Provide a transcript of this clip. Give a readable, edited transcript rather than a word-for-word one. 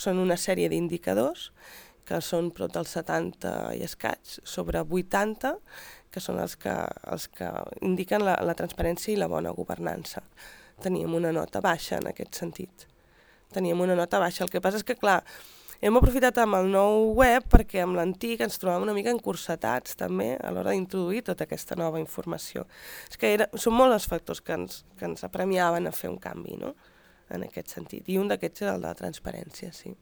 són una sèrie d'indicadors que són prop dels 70 i escaig, sobre 80, que són els que indiquen la transparència i la bona governança. Teníem una nota baixa en aquest sentit. Teníem una nota baixa. El que passa és que, clar, hem aprofitat amb el nou web perquè amb l'antic ens trobàvem una mica encursetats també a l'hora d'introduir tota aquesta nova informació. És que són molts els factors que ens apremiaven a fer un canvi, no?, en aquest sentit. I un d'aquests era el de la transparència, sí.